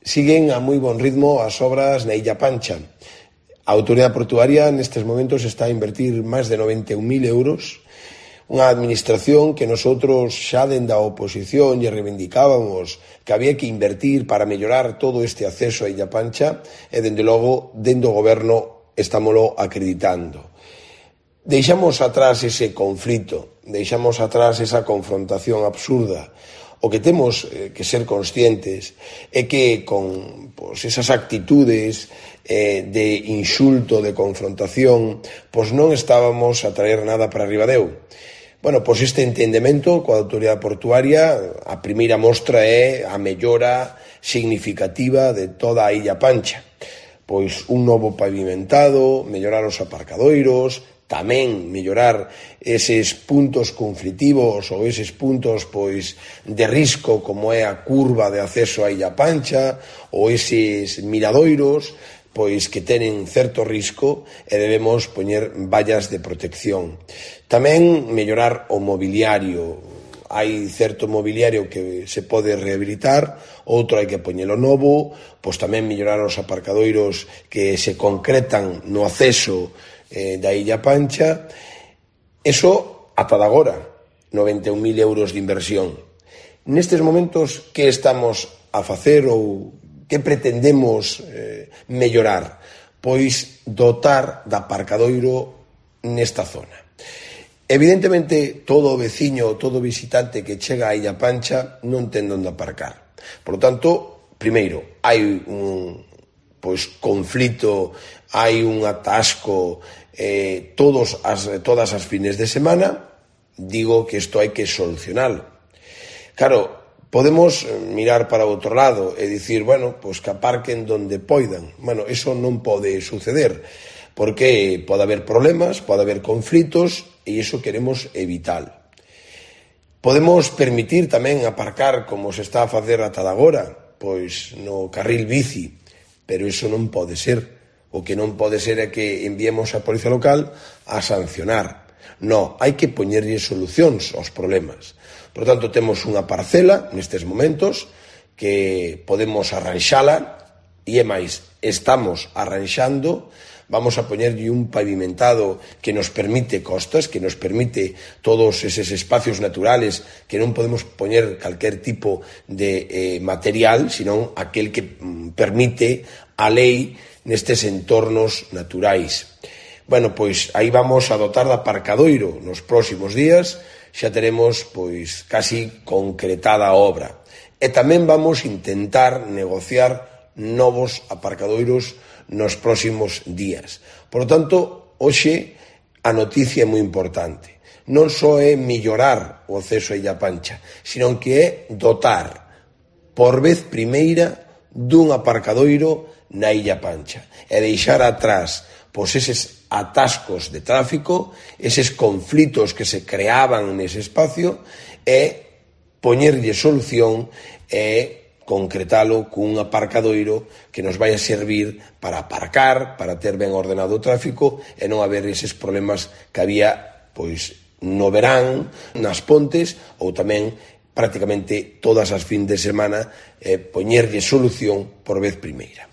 Siguen a moi bon ritmo as obras na Illa Pancha. A Autoridade Portuaria nestes momentos está a invertir máis de 91.000 euros, unha administración que nosotros xa dende a oposición lle reivindicábamos que había que invertir para mellorar todo este acceso a Illa Pancha e, dende logo, dende o goberno estámolo acreditando. Deixamos atrás ese conflito, deixamos atrás esa confrontación absurda. O que temos que ser conscientes é que con esas actitudes de insulto, de confrontación, non estábamos a traer nada para Ribadeo. Este entendemento coa Autoridade Portuaria, a primeira mostra é a mellora significativa de toda a Illa Pancha. Un novo pavimentado, mellorar os aparcadoiros, tamén mellorar eses puntos conflitivos ou eses puntos de risco como é a curva de acceso a Illa Pancha ou eses miradoiros que tenen certo risco e debemos poñer vallas de protección. Tamén mellorar o mobiliario. Hai certo mobiliario que se pode rehabilitar, outro hai que poñelo novo, tamén mellorar os aparcadoiros que se concretan no acceso da Illa Pancha. Eso ata de agora, 91.000 euros de inversión. Nestes momentos, que estamos a facer ou que pretendemos mellorar? Dotar de aparcadoiro nesta zona. Evidentemente, todo veciño, todo visitante que chega a Illa Pancha non ten onde aparcar. Por lo tanto, primeiro, hai un conflito, hai un atasco todas as fines de semana. Digo que isto hai que solucionalo. Claro, podemos mirar para o outro lado e dicir, que aparquen donde poidan. Eso non pode suceder, porque pode haber problemas, pode haber conflitos, e iso queremos evitar. Podemos permitir tamén aparcar, como se está a facer ata de agora, no carril bici, pero iso non pode ser. O que non pode ser é que enviemos a Policía Local a sancionar. Non, hai que poñerlle solucións aos problemas. Por tanto, temos unha parcela nestes momentos que podemos arranxala, e é máis, estamos arranxando. Vamos a poñerlle un pavimentado que nos permite costas, que nos permite todos eses espacios naturales que non podemos poñer calquer tipo de material, senón aquel que permite a lei nestes entornos naturais. Aí vamos a dotar de aparcadoiro nos próximos días, xa teremos casi concretada a obra. E tamén vamos a intentar negociar novos aparcadoiros nos próximos días. Por lo tanto, hoxe a noticia é moi importante. Non só é mellorar o acceso a Illa Pancha, sino que é dotar, por vez primeira, dun aparcadoiro na Illa Pancha e deixar atrás eses atascos de tráfico, eses conflitos que se creaban nese espacio, e poñerlle solución e concretalo cun aparcadoiro que nos vai a servir para aparcar, para ter ben ordenado o tráfico e non haber eses problemas que había no verán, nas pontes, ou tamén prácticamente todas as fin de semana, poñerlle solución por vez primeira.